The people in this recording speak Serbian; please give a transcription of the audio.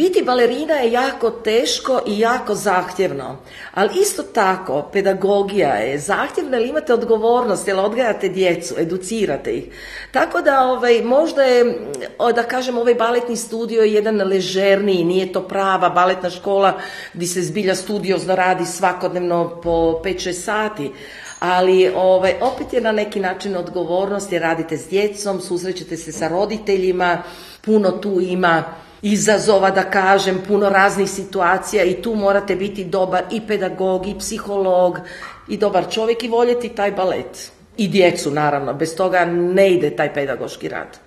Biti balerina je jako teško i jako zahtjevno, ali isto tako pedagogija je zahtjevna jer imate odgovornost, jer odgajate djecu, educirate ih. Tako da možda je, da kažem, ovaj baletni studio je jedan ležerniji, nije to prava baletna škola gdje se zbilja studiozno radi svakodnevno po 5-6 sati. Ali opet je na neki način odgovornost jer radite s djecom, susrećete se sa roditeljima, puno tu ima izazova, da kažem, puno raznih situacija i tu morate biti dobar i pedagog i psiholog i dobar čovjek i voljeti taj balet. I djecu naravno, bez toga ne ide taj pedagoški rad.